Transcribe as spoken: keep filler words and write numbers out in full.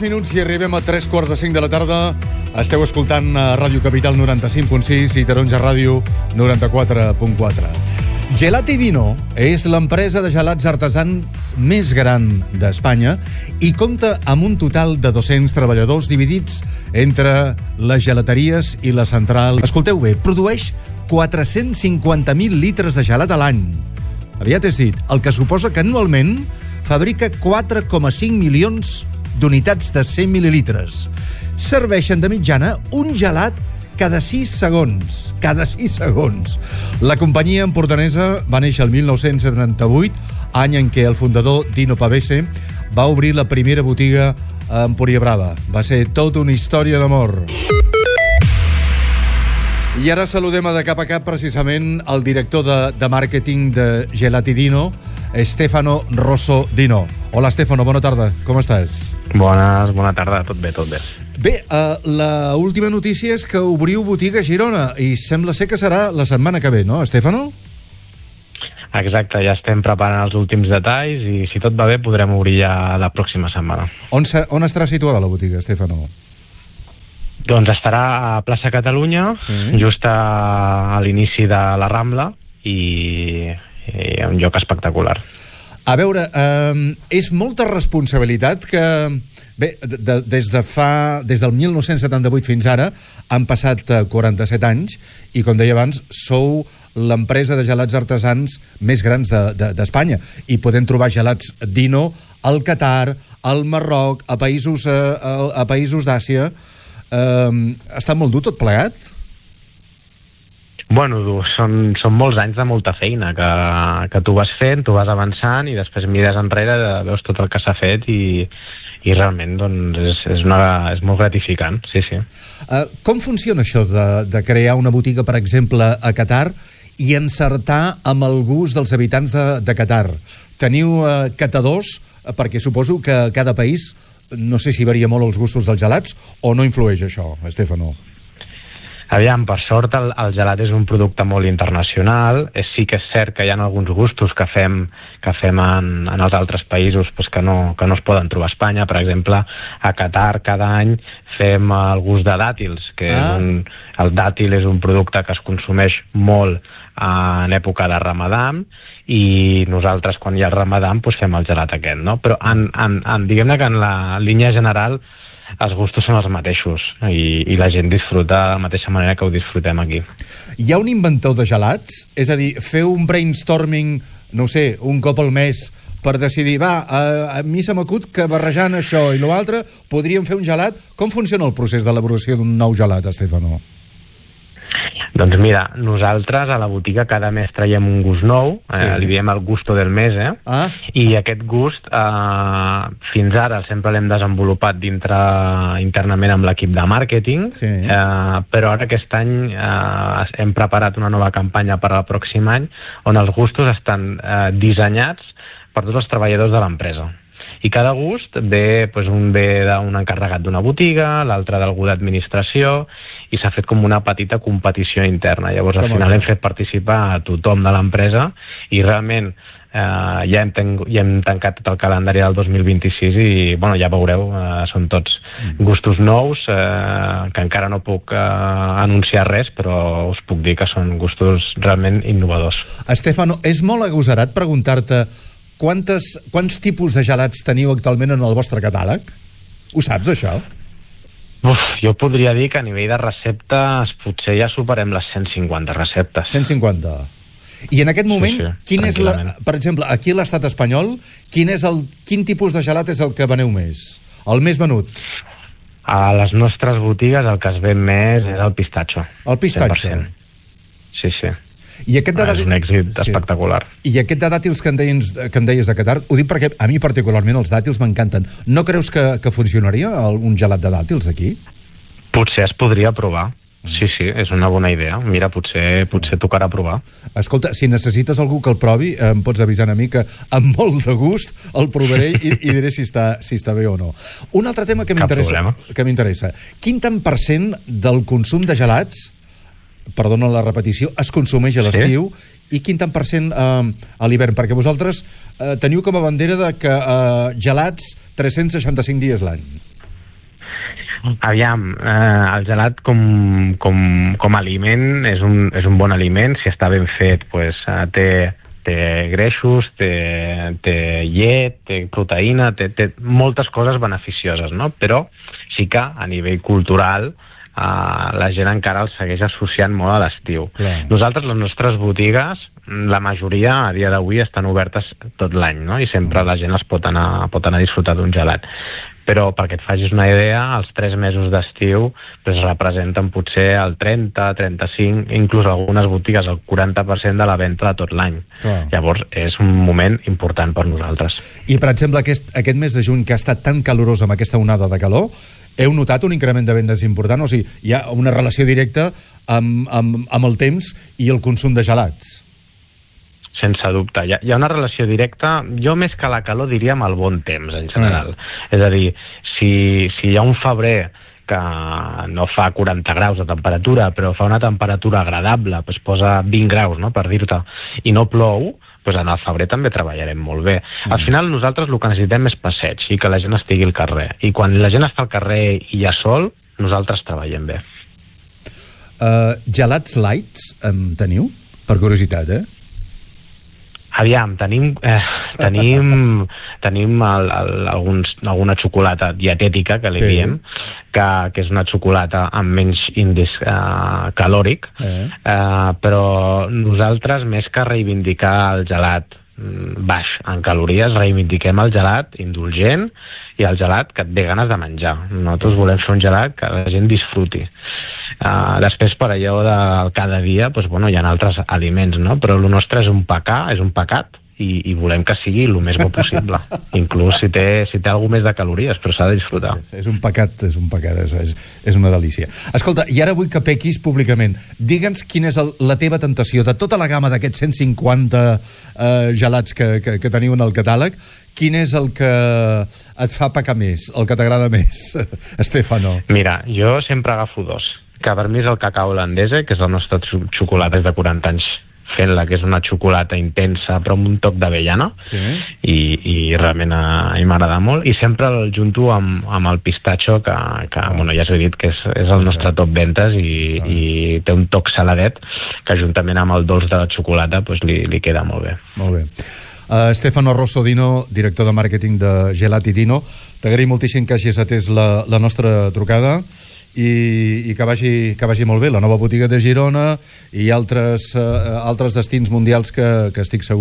minuts i arribem a tres quarts de cinc de la tarda. Esteu escoltant a Ràdio Capital noranta-cinc punt sis i Taronja Ràdio noranta-quatre punt quatre. Gelati Dino és l'empresa de gelats artesans més gran d'Espanya i compta amb un total de dos-cents treballadors dividits entre les gelateries i la central. Escolteu bé, produeix quatre-cents cinquanta mil litres de gelat a l'any. Aviat és dit, el que suposa que anualment fabrica quatre coma cinc milions d'unitats de cent mil·lilitres. Serveixen de mitjana un gelat cada sis segons. Cada sis segons. La companyia empordanesa va néixer el mil nou-cents setanta-vuit, any en què el fundador Dino Pavese va obrir la primera botiga a Empúria Brava. Va ser tota una història d'amor. I ara saludem a de cap a cap precisament el director de, de màrqueting de Gelati Dino, Stefano Rosso Dino. Hola, Stefano, bona tarda. Com estàs? Bones, bona tarda. Tot bé, tot bé. Bé, uh, la última notícia és que obriu botiga a Girona i sembla ser que serà la setmana que ve, no, Stefano? Exacte, ja estem preparant els últims detalls i si tot va bé podrem obrir ja la pròxima setmana. On, on estarà situada la botiga, Stefano? Doncs estarà a plaça Catalunya, sí. Just a, a l'inici de la Rambla i, i un lloc espectacular. A veure, eh, és molta responsabilitat que, bé, de, des de fa, des del mil nou-cents setanta-vuit fins ara han passat quaranta-set anys i, com deia abans, sou l'empresa de gelats artesans més grans d'Espanya de, de, i podem trobar gelats Dino al Qatar, al Marroc, a països, a, a països d'Àsia. Uh, està molt dur tot plegat? Bueno, són, són molts anys de molta feina que, que tu vas fent, tu vas avançant i després mires enrere, veus tot el que s'ha fet i, i realment doncs, és, és, una, és molt gratificant, sí, sí. Uh, com funciona això de, de crear una botiga, per exemple, a Qatar i encertar amb el gust dels habitants de, de Qatar? Teniu uh, catadors, perquè suposo que cada país, no sé si varia molt els gustos dels gelats o no influeix això, Stefano? Aviam, per sort el, el gelat és un producte molt internacional. És, sí que és cert que hi ha alguns gustos que fem, que fem en, en els altres països pues, que, no, que no es poden trobar a Espanya. Per exemple, a Qatar cada any fem el gust de dàtils, que ah. és un, el dàtil és un producte que es consumeix molt en època de Ramadà i nosaltres quan hi ha el Ramadà pues, fem el gelat aquest, no? Però en, en, en, diguem-ne que en la línia general els gustos són els mateixos i, i la gent disfruta de la mateixa manera que ho disfrutem aquí. Hi ha un inventor de gelats? És a dir, feu un brainstorming, no sé, un cop al mes per decidir, va, a, a mi se m'acut que barrejant això i l'altre podríem fer un gelat. Com funciona el procés d'elaboració d'un nou gelat, Stefano? Doncs mira, nosaltres a la botiga cada mes traiem un gust nou, sí. eh, li diem el gusto del mes, eh? Ah. I aquest gust eh, fins ara sempre l'hem desenvolupat dintre internament amb l'equip de màrqueting, sí. eh, però ara aquest any eh, hem preparat una nova campanya per al pròxim any on els gustos estan eh, dissenyats per tots els treballadors de l'empresa. I cada gust ve, doncs un ve d'un encarregat d'una botiga, l'altre d'algú d'administració, i s'ha fet com una petita competició interna. Llavors, al final hem fet participar a tothom de l'empresa i realment eh, ja, hem ten ja hem tancat tot el calendari del dos mil vint-i-sis i, bueno, ja veureu, eh, són tots gustos nous, eh, que encara no puc eh, anunciar res, però us puc dir que són gustos realment innovadors. Stefano, és molt agosarat preguntar-te Quantes, quants tipus de gelats teniu actualment en el vostre catàleg? Ho saps, això? Uf, jo podria dir que a nivell de receptes potser ja superem les cent cinquanta receptes. cent cinquanta. I en aquest moment, sí, sí, quin és la, per exemple, aquí a l'estat espanyol, quin, és el, quin tipus de gelat és el que veneu més? El més venut? A les nostres botigues el que es ven més és el pistatxo. El pistatxo? cent per cent. Sí, sí. I aquest de és un èxit sí. espectacular. I aquest de dàtils que em, deies, que em deies de Qatar, ho dic perquè a mi particularment els dàtils m'encanten. No creus que, que funcionaria un gelat de dàtils aquí? Potser es podria provar. Sí, sí, és una bona idea. Mira, potser, potser tocarà provar. Escolta, si necessites algú que el provi, em pots avisar a mi que amb molt de gust el provaré i, i diré si està, si està bé o no. Un altre tema que m'interessa, que m'interessa. Quin tant per cent del consum de gelats, perdona la repetició, es consumeix a l'estiu sí? I quin tant per cent eh, a l'hivern? Perquè vosaltres eh, teniu com a bandera de que eh, gelats tres-cents seixanta-cinc dies l'any. Aviam, eh, el gelat com, com, com a aliment és un, és un bon aliment, si està ben fet, pues, eh, té, té greixos, té, té llet, té proteïna, té, té moltes coses beneficioses, no? Però sí que a nivell cultural eh, la gent encara el segueix associant molt a l'estiu. Clar. Nosaltres, les nostres botigues, la majoria a dia d'avui estan obertes tot l'any, no? I sempre la gent es pot anar, pot anar a disfrutar d'un gelat. Però perquè et facis una idea, els tres mesos d'estiu pues, representen potser el trenta, trenta-cinc, inclús algunes botigues el quaranta per cent de la venda de tot l'any. Clar. Llavors és un moment important per nosaltres. I per exemple aquest, aquest mes de juny que ha estat tan calorós amb aquesta onada de calor, heu notat un increment de vendes important? O sigui, hi ha una relació directa amb, amb, amb el temps i el consum de gelats? Sense dubte. Hi ha, hi ha una relació directa, jo més que la calor diria amb el bon temps, en general. Mm. És a dir, si, si hi ha un febrer que no fa quaranta graus de temperatura, però fa una temperatura agradable, pues posa vint graus, no?, per dir-te, i no plou, pues en el febrer també treballarem molt bé. Mm. Al final nosaltres el que necessitem és passeig i que la gent estigui al carrer. I quan la gent està al carrer i hi ha sol, nosaltres treballem bé. Uh, gelats lights en teniu? Per curiositat, eh? Aviam, tenim, eh, tenim, tenim el, el, alguns, alguna xocolata dietètica, que li sí. diem, que, que és una xocolata amb menys índex eh, calòric, eh. Eh, però nosaltres, més que reivindicar el gelat baix en calories, reivindiquem el gelat indulgent i el gelat que et ve ganes de menjar. Nosaltres volem fer un gelat que la gent disfruti. Uh, després, per allò del cada dia, doncs, bueno, hi ha altres aliments, no? Però el nostre és un pecar, és un pecat, i, i volem que sigui el més bo possible. Inclús si té, si té alguna més de calories, però s'ha de disfrutar. És un pecat, és un pecat, és, és, és una delícia. Escolta, i ara vull que pequis públicament. Digue'ns quina és el, la teva tentació de tota la gamma d'aquests cent cinquanta eh, gelats que, que, que teniu en el catàleg. Quin és el que et fa pecar més, el que t'agrada més, Stefano? Mira, jo sempre agafo dos. Que per mi és el cacao holandesa, que és el nostre xocolata des de quaranta anys fent-la, que és una xocolata intensa però amb un toc d'avellana, sí. i, i realment a, a mi m'agrada molt, i sempre el junto amb, amb el pistatxo que, que oh. bueno, ja us he dit que és, és el nostre top ventes i, oh. i té un toc saladet que juntament amb el dolç de la xocolata pues, li, li queda molt bé. Molt bé. Uh, Stefano Rosso Dino, director de màrqueting de Gelati Dino, t'agraïm moltíssim que hagis atès la, la nostra trucada i, i que, vagi, que vagi molt bé la nova botiga de Girona i altres, uh, altres destins mundials que, que estic segur